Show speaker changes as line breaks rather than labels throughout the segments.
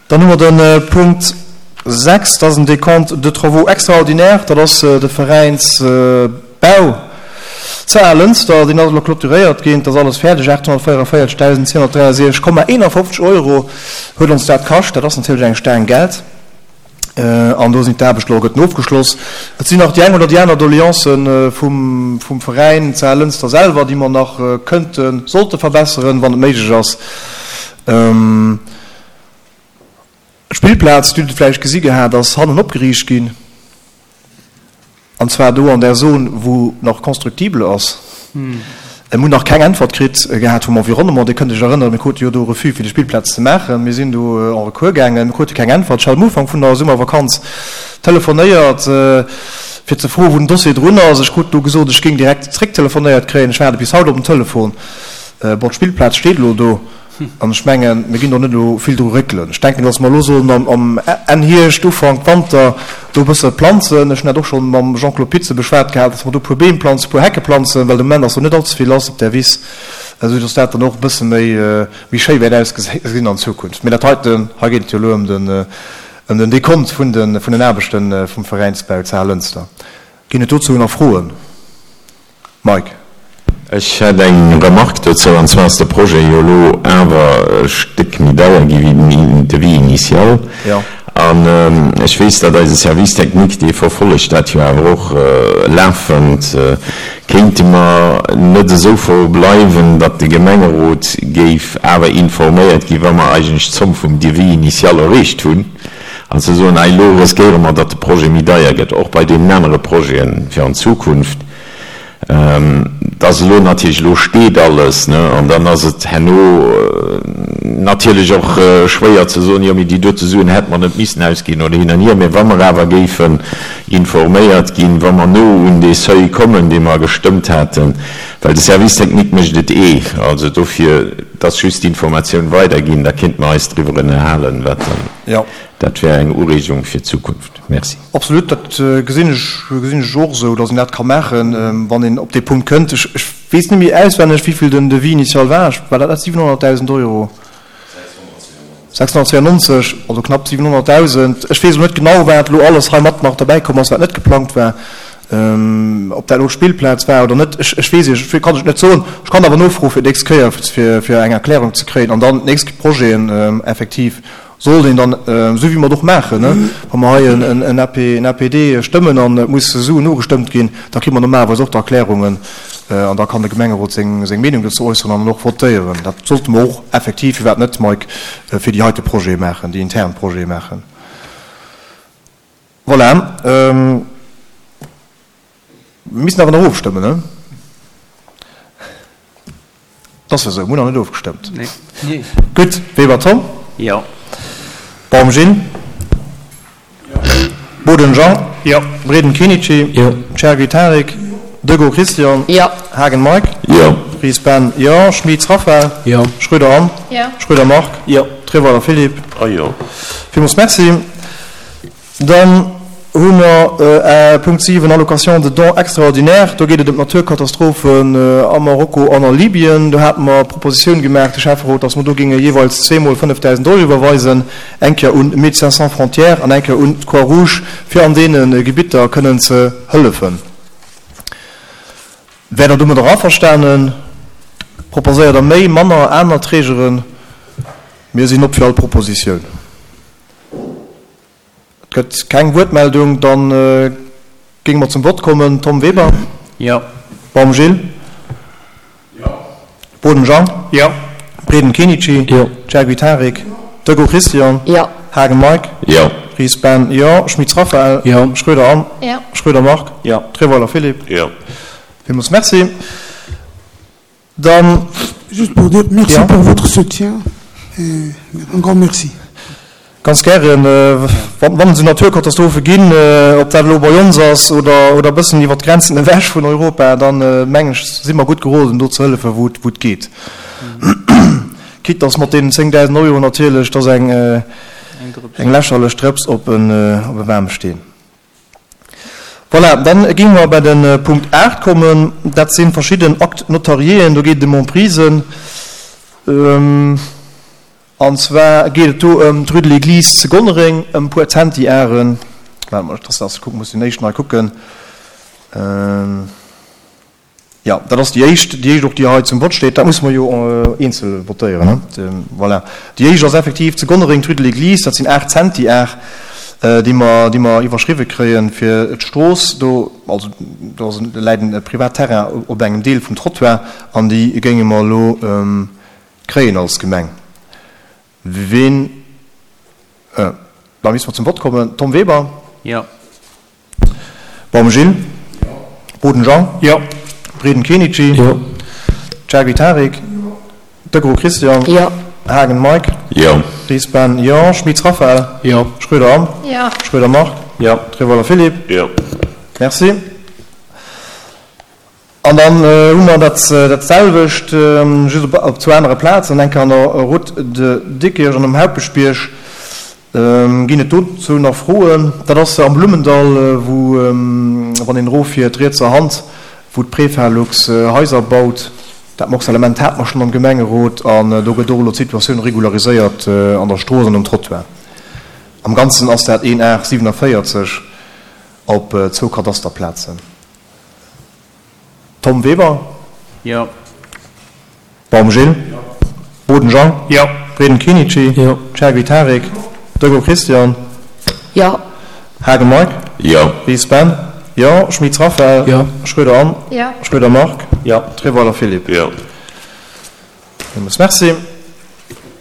Dann hu mer de Punkt 6, dat ass en Décompte de travaux extraordinaires, dat ass de Veräinsbau zu Alënster, deen ass elo clôturéiert ginn, dat ass alles fäerdeg, 844.263,51 Euro huet ons dat kascht, dat ass natierlech eng Staang Geld an do sinn d'Aarbechten elo gëtten ofgeschloss. Et sinn nach déi eng oder déi aner Doleancen vum Veräin zu Alënster selwer, déi mer nach kënnten, sollte verbesseren, wann et méiglech ass. D'Spillplaz, Dir hutt et vläicht gesi gehat, ass hannen opgeriicht ginn, an zwar do an där Zon, wou nach constructible ass. Mir hunn nach keng Äntwert kritt gehat vum Environnement. Dir kënnt Iech erënneren, mir krute jo do e Refus, fir déi Spillplaz ze maachen. Mir sinn do en Recours gaangen, mir krute keng Äntwert. Ech hat am Ufank vun der Summervakanz telefonéiert, fir ze froen, wou den Dossier drun ass. Ech krut do gesot, ech géing direkt zrécktelefonéiert kréien. Ech waarde bis haut op den Telefon. Bon, d'Spillplaz steet elo do. An ech mengen, mir ginn do net elo vill dru réckelen. Ech denken, datt mer elo sollen am Enn Hierscht, Ufank Wanter do e bësse planzen. Ech hunn dat och schonn mam Jean-Claude Pitze beschwat gehat, datt mer do e puer Beem planzen, e puer Hecke planzen, well de Moment ass do net allze vill lass op där Wiss, esou datt dat dann och e bësse méi, méi schéi wäert ausgesinn an Zukunft. Mee dat heiten, hei geet et jo elo ëm den, ëm den Dekont vun de, vun den Aarbechte vum Veräinsbau zu Alënster. Ginn et dozou nach Froen? Mike.
Ech hätt eng Remarque dozou, an zwar ass de Projet jo elo awer e Stéck méi deier gi wéi den Devis initial. An ech weess, datt eise Service technique, dee verfollegt dat jo awer och lafend. Kéinte mer net esou verbleiwen, datt de Gemengerot géif awer informéiert ginn, wa mer eigentlech d'Zomm vum Devis initial erreecht hunn, an ze soen, hei elo riskéiere mer, datt de Projet méi deier gëtt, och bei deenen anere Projeten fir an Zukunft. Et ass elo natierlech, elo steet alles, ne, an dann ass et herno natierlech och schwéier ze soen, jo mee déi dote Suen hätte mer net missen ausginn oder hin an hier. Mee wa mer awer géifen informéiert ginn, wa mer no un dee Seuil kommen, dee mer gestëmmt haten, well de Service technique mécht et eh, also dofir, et ass just d'Informatioun weiderginn, da kéinte mer eis driwwer ënnerhalen, wat dann, dat wär eng Ureegung fir d'Zukunft. Merci.
Absolut, dat gesinn ech, gesinn ech och esou, datt een dat ka maachen, wann een op dee Punkt kënnt. Ech, ech weess net méi auswenneg, wéivill den Devis initial war. Ech, war dat net 700.000 Euro? 692, also knapp 700.000. Ech weess elo net genau, wat elo alles hei mat nach derbäi komm ass, wat net geplangt war, ob dat elo d'Spillplaz war oder net. Ech, ech weess Iech, kann ech net soen. Ech kann awer nofroe fir d'nächst Kéier, fir, fir eng Erklärung ze kréien an dann d'nächst Projeten effektiv Sollt een dann, esou wéi mer et och maachen, wa mer hei en AP, en APD stëmmen an et muss Suen nogestëmmt ginn, da kritt mer normalerweis och d'Erklärungen an da kann de Gemengerot seng, seng Meenung dozou äusseren an och votéieren. Dat sollte mer och effektiv, firwat net, Mike, fir déi heite Projete maachen, déi intern Projete maachen. Voilà. Mir missten awer nach ofstëmmen, ne? Et ass jo esou, mir hunn nach net ofgestëmmt.
Nee.
Gutt, Weber Tom?
Jo.
Baum Gilles?
Jo.
Boden Jean?
Jo.
Breden Kenichi?
Jo.
Chergui Tarik?
Jo.
Degault Christian?
Jo.
Haagen Mike?
Jo.
Ries Ben? Jo. Schmitz Raphaël?
Jo.
Schröder Anne?
Jo.
Schröder Marc?
Jo.
Treweiler Philippe?
A jo.
Villmools Merci. Dann hu mer Punkt 7, Allocation de dons extraordinaires. Do geet et ëm d'Naturkatastrophen a Marokko an a Libyen. Do hate mer d'Propositioun gemaach, de Schäfferot, dass mer do géinge jeeweils zweemol 5.000 Euro iwwerweisen, eng Kéier un Médecins sans frontières an eng Kéier un d'Croix-Rouge, fir an deene Gebitter kënnen ze hëllefen. Wäert Der domadder averstanen? Proposéiert Der méi, manner, aner Trägeren? Mir sinn op fir all Propositioun. Et gëtt keng Wuertmeldung. Da géinge mer zum Vott kommen. Tom Weber?
Jo.
Baum Gilles?
Jo.
Boden Jean?
Jo.
Breden Kenichi?
Jo.
Chergui Tarik? Degault Christian?
Jo.
Haagen Mike?
Jo.
Ries Ben? Jo. Schmitz Raphaël?
Jo.
Schroeder Anne?
Jo.
Schroeder Marc?
Jo.
Treweiler Philippe?
Jo.
Villmools Merci. Dann.
Juste pour dire merci pour votre soutien et un grand merci.
Ganz gären. Wann et esou Naturkatastrophe ginn, ob dat elo bei ons ass oder e bëssen iwwer d'Grenzen ewech vun Europa, dann mengen ech, si mer gutt geroden, do ze hëllefen, wou et geet. Quitte dass mat deenen 10.000 Euro natierlech, dat ass eng lächerlech Drëps op e waarme Steen. Voilà, dann géinge mer bei de Punkt 8 kommen. Dat si verschidden Actes notariéen. Do geet et ëm Emprisen. An zwar geet et do ëm d'Rue de l'Église zu Gonnereng, ëm e puer Zentiaren. Waart mol, dass ech kucken, muss déi éischt nei kucken. Jo, dat ass déi éischt, déi éischt och, déi hei zum Vott steet. Dat musse mer jo eenzel votéieren, ne? Voilà. Déi éischt ass effektiv zu Gonnereng, d'Rue de l'Église. Dat sinn 8 Zentiar, déi mer, déi mer iwwerschriwwe kréien, fir d'Strooss do, also do ass en, läit en Privatterrain op engem Deel vum Trottoir an déi géinge mer elo kréien als Gemeng. Ween, da misste mer zum Vott kommen. Tom Weber?
Jo.
Baum Gilles?
Jo.
Boden Jean?
Jo.
Breden Kenichi?
Jo.
Chergui Tarik?
Jo.
Degraux Christian?
Jo.
Haagen Mike?
Jo.
Ries Ben? Jo. Schmitz Raphaël?
Jo.
Schroeder Anne?
Jo.
Schroeder Marc?
Jo.
Treweiler Philippe?
Jo.
Merci. An dann hu mer dat selwecht, just op zwou anere Plazen, eng Kéier an der Route de Diekirch an um Haupeschbierg. Ginn et dozou nach Froen? Dat ass am Blummendall, wou, wann een eroffiert, rietser Hand, wou d'Prefalux Haiser baut. Dat Morcellement hate mer schonn am Gemengerot an do gëtt och elo d'Situatioun regulariséiert an der Strooss an um Trottoir. Am Ganzen ass dat een Ar 47 op zwou Kadasterplazen. Tom Weber?
Jo.
Baum Gilles?
Jo.
Boden Jean?
Jo.
Breden Kenichi?
Jo.
Chergui Tarik?
Jo.
Degraux Christian?
Jo.
Haagen Mike?
Jo.
Ries Ben? Jo. Schmitz Raphaël?
Jo.
Schroeder Anne?
Jo.
Schroeder Marc?
Jo.
Treweiler Philippe?
Jo.
Villmools Merci.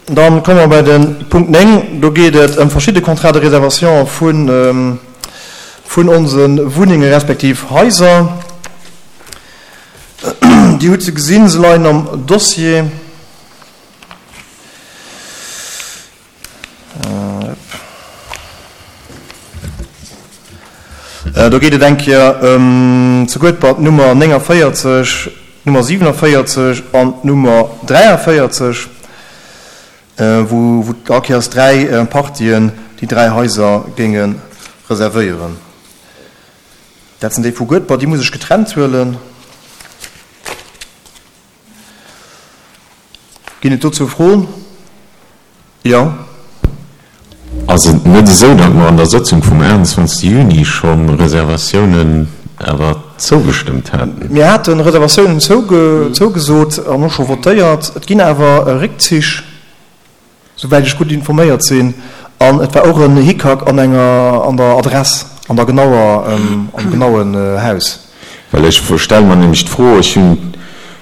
Dann komme mer bei de Punkt 9. Do geet et ëm verschidde Contrats de réservation vun, vun onse Wunnenge respektiv Haiser. Dir hutt se gesinn, se leien am Dossier. Do geet et eng Kéier ëm zu Guedber d'Nummer 49, d'Nummer 47 an d'Nummer 43, wou all Kéiers dräi Partien déi dräi Haiser géinge reservéieren. Dat sinn déi vu Guedber, déi muss ech getrennt huelen. Ginn et dozou Froen? Jo.
Ass et net esou, datt mer an der Sëtzung vum 28 Juni scho Reservatiounen awer zougestëmmt haten?
Mir hate Reservatiounen zougesot an och scho votéiert. Et ginn awer Réckzich. Souwäit ech gutt informéiert sinn, an et war och en Hickhack an enger, an der Adress, an der genauer, am genauen Haus.
Well ech stelle mer nämlech d'Fro, ech hunn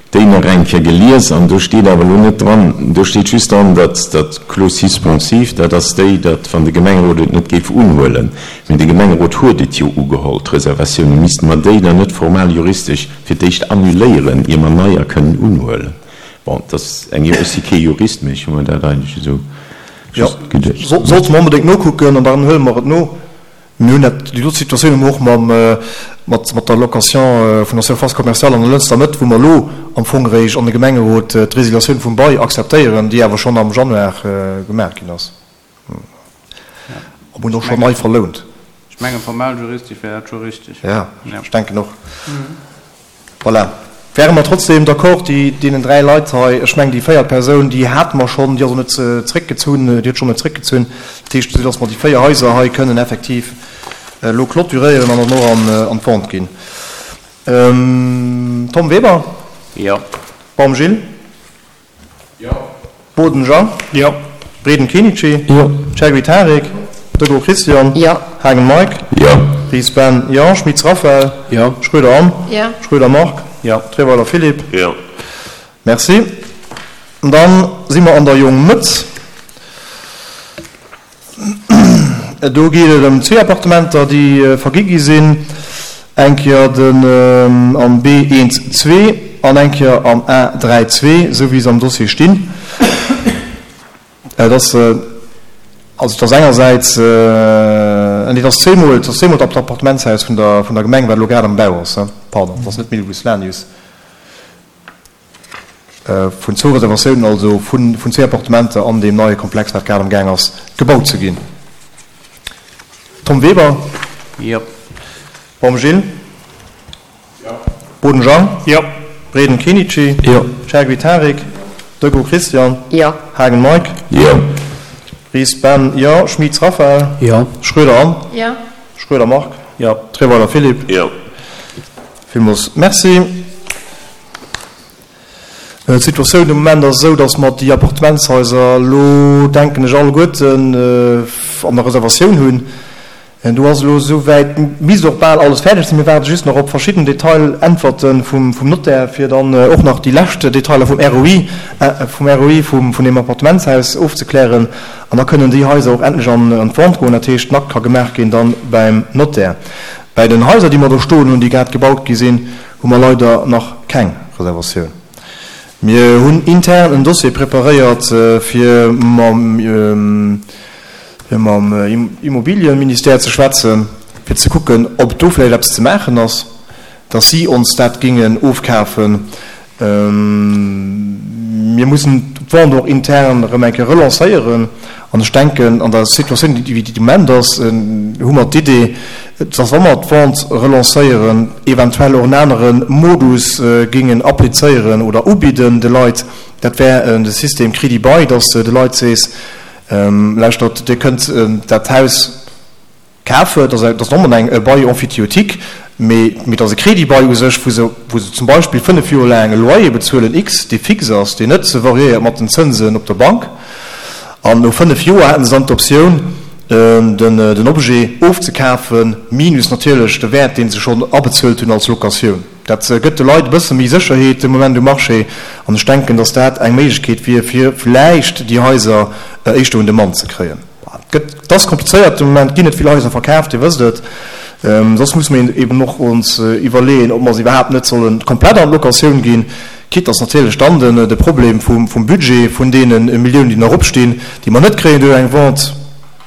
déi nach eng Kéier gelies an do steet awer elo net dran, do steet just dran, datt dat Clause suspensive, dat ass déi, datt wann de Gemengerot et net géif unhuelen, mee de Gemengerot huet et jo ugeholl, d'Reservatioune, misste mer déi dann net formal juristesch fir d'éischt annuléieren, ier mer neier kënnen unhuelen? Bon, et ass eng, ech si kee Jurist, mee ech hu mer dat eigentlech esou just geduecht.
Jo, sollte mer onbedéngt nokucken an dann huele mer et no. Mir hunn dat, déi do Situatioun hu mer och mam, mat, mat der Location vun der Surface commerciale an der Lënster Mëtt, wou mer elo am Fong eréischt an de Gemengerot d'Résiliatioun vum Bail akzeptéieren, déi awer schonn am Januar gemaach ginn ass. An hunn och schonn nei verlount.
Ech mengen, formal juristesch wär dat scho richteg.
Jo, ech denken och. Voilà. Wäre mer trotzdem d'accord, déi, deenen dräi Leit hei, ech mengen déi véiert Persoun, déi hate mer schonn, déi ass och net zréckgezunn, déi huet schonn net zréckgezunn. Dat heescht, esou datt mer déi véier Haiser hei kënnen effektiv elo clôturéieren an dann och an, an d'Vente ginn. Tom Weber?
Jo.
Baum Gilles?
Jo.
Boden Jean.
Jo.
Breden Kenichi.
Jo.
Chergui Tarik. Degraux Christian.
Jo.
Haagen Mike.
Jo.
Ries Ben. Jo. Schmitz Raphaël.
Jo.
Schroeder Anne.
Jo.
Schroeder Marc.
Jo.
Treweiler Philippe.
Jo.
Merci. Dann si mer an der Jongmëtt. Do geet et ëm zwee Appartementer, déi vergi gi sinn, eng Kéier den am B1 zwee an eng Kéier am A3 zwee, esou wéi se am Dossier stinn. Et ass, also et ass engersäits, nee, et ass zweemol, et ass zweemol d'Appartementshaus vun der, vun der Gemeng, wat elo grad am Bau ass, pardon, et ass net d'Milbus Lanius. Vun zwou Reservatiounen, also vun zwee Appartementer an deem neie Komplex, wat grad am Gaang ass gebaut ze ginn. Tom Weber.
Jo.
Baum Gilles.
Jo.
Boden Jean.
Jo.
Breden Kenichi.
Jo.
Chergui Tarik. Deco Christian.
Jo.
Haagen Mike.
Jo.
Ries Ben. Jo. Schmitz Raphaël.
Jo.
Schroeder Anne.
Jo.
Schroeder Marc.
Jo.
Treweiler Philippe.
Jo.
Villmools Merci. D'Situatioun de Moment ass esou, datt mer déi Appartementshaiser elo, denken ech, alleguerten an der Reservatioun hunn. Do ass elo esouwäit, misst och bal alles fäerdeg sinn. Mir waarde just nach op verschidden Detailäntwerte vum Notaire, fir dann och nach déi lescht Detailer vum ROI, vum ROI vun deem Appartementshaus ofzeklären. An da kënnen déi Haiser och endlech an d'Vente goen. Dat heescht, den Akt ka gemaach ginn dann beim Notaire. Bäi den Haiser, déi mer do stoen hunn, déi grad gebaut gi sinn, hu mer leider nach keng Reservatioun. Mir hunn intern en Dossier preparéiert, fir mam Immobiliëministère ze schwätzen, fir ze kucken, ob do vläicht eppes ze maachen ass, dass si ons dat géingen ofkafen. Mir mussen d'Vente och intern erëm eng Kéier relancéieren. An ech denken, an der Situatioun, wéi déi de Moment ass, hu mer d'Idee, dass, wa mer d'Vente relancéieren, eventuell och en anere Modus géingen applizéieren oder ubidden de Leit. Dat wär de System Crédit-bail, dass de de Leit sees, Lauschtert, Dir kënnt dat Haus Kafe, dat ass net onbedéngt e Bail emphytéotique, mee et ass e Crédit-bail u sech, wou se, wou se zum Beispill 5 Joer laang e Loyer bezuelen X, dee fix ass, deen net variéiert mat den Zënsen op der Bank. An no 5 Joer hätte se dann d'Optioun, den, den Objet ofzekafen, minus natierlech de Wäert, dee se schonn abezuelt hunn als Locatioun. Dat gëtt de Leit e bësse méi Sécherheet de Moment um Marché. An ech denken, datt dat eng Méiglechkeet wier, fir vläicht déi Haiser éischter un de Mann ze kréien. Et ass komplizéiert, de Moment ginn net vill Haiser verkaaft, Dir wësst et. Soss musse mir eben och ons iwwerleeën, ob mer se iwwerhaapt net solle komplett an d'Locatioun ginn, quitte dass natierlech dann de Problem vum Budget, vun deene Milliounen, déi nach opstinn, déi mer net kréien duerch eng Vente,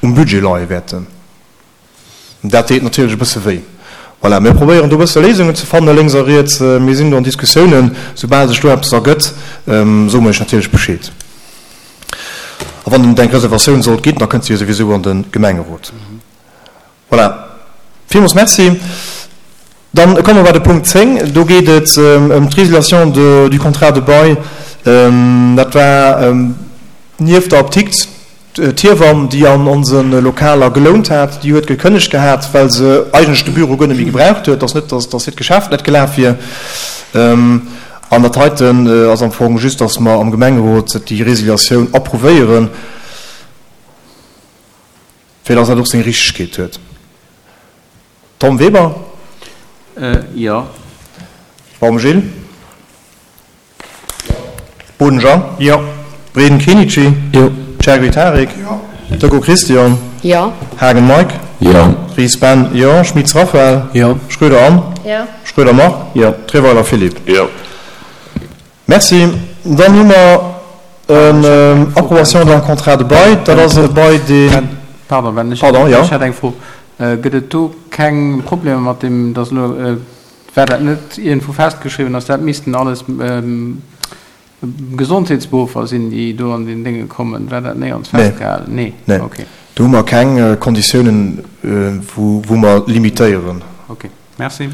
um Budget leie wäerten. Dat deet natierlech e bësse wéi. Voilà, mir probéieren do e bësse Léisungen ze fannen, lénks a riets. Mir sinn do an Diskussiounen. Soubal sech do eppes ergëtt, soe mer Iech natierlech Bescheed. A wann et eng Reservatioun sollt ginn, da kënnt se jo souwisou an de Gemengerot. Voilà, villmools Merci. Dann komme mer bei de Punkt 10. Do geet et ëm d'Résiliation du contrat de bail. Dat war nieft der Apdikt d'Hiewamm, déi an onse Lokaler gelount hat. Déi huet gekënnegt gehat, well se eigentlech de Büro guer net méi gebraucht huet. Et ass net, datt hiert Geschäft net gelaf wier. An dat heiten ass am Fong just, datt mer am Gemengerot déi Résiliatioun approuvéieren, fir datt dat och seng Richtegkeet huet. Tom Weber?
Jo.
Baum Gilles? Jo. Boden Jean?
Jo.
Breden Kenichi?
Jo.
Chergui Tarik?
Jo.
Decaux Christian?
Jo.
Haagen Mike?
Jo.
Ries Ben? Jo. Schmitz Raphaël?
Jo.
Schroeder Anne?
Jo.
Schroeder Marc?
Jo.
Treweiler Philippe?
Jo.
Merci. Dann hu mer en Approbation d'un contrat de bail. Dat ass e Bail, deen.
Pardon, Ben, ech
Pardon, jo.
hätt eng Fro. Gëtt et do keng Problemer mat deem, dass elo, war dat net iergendwou festgeschriwwen, dass dat missten alles Gesondheetsberuffer sinn, déi do an den Dénge kommen? War dat néierens festgehalen?
Nee. Nee. Okay. Do hu mer keng Konditiounen, wou mer limitéieren.
Okay. Merci.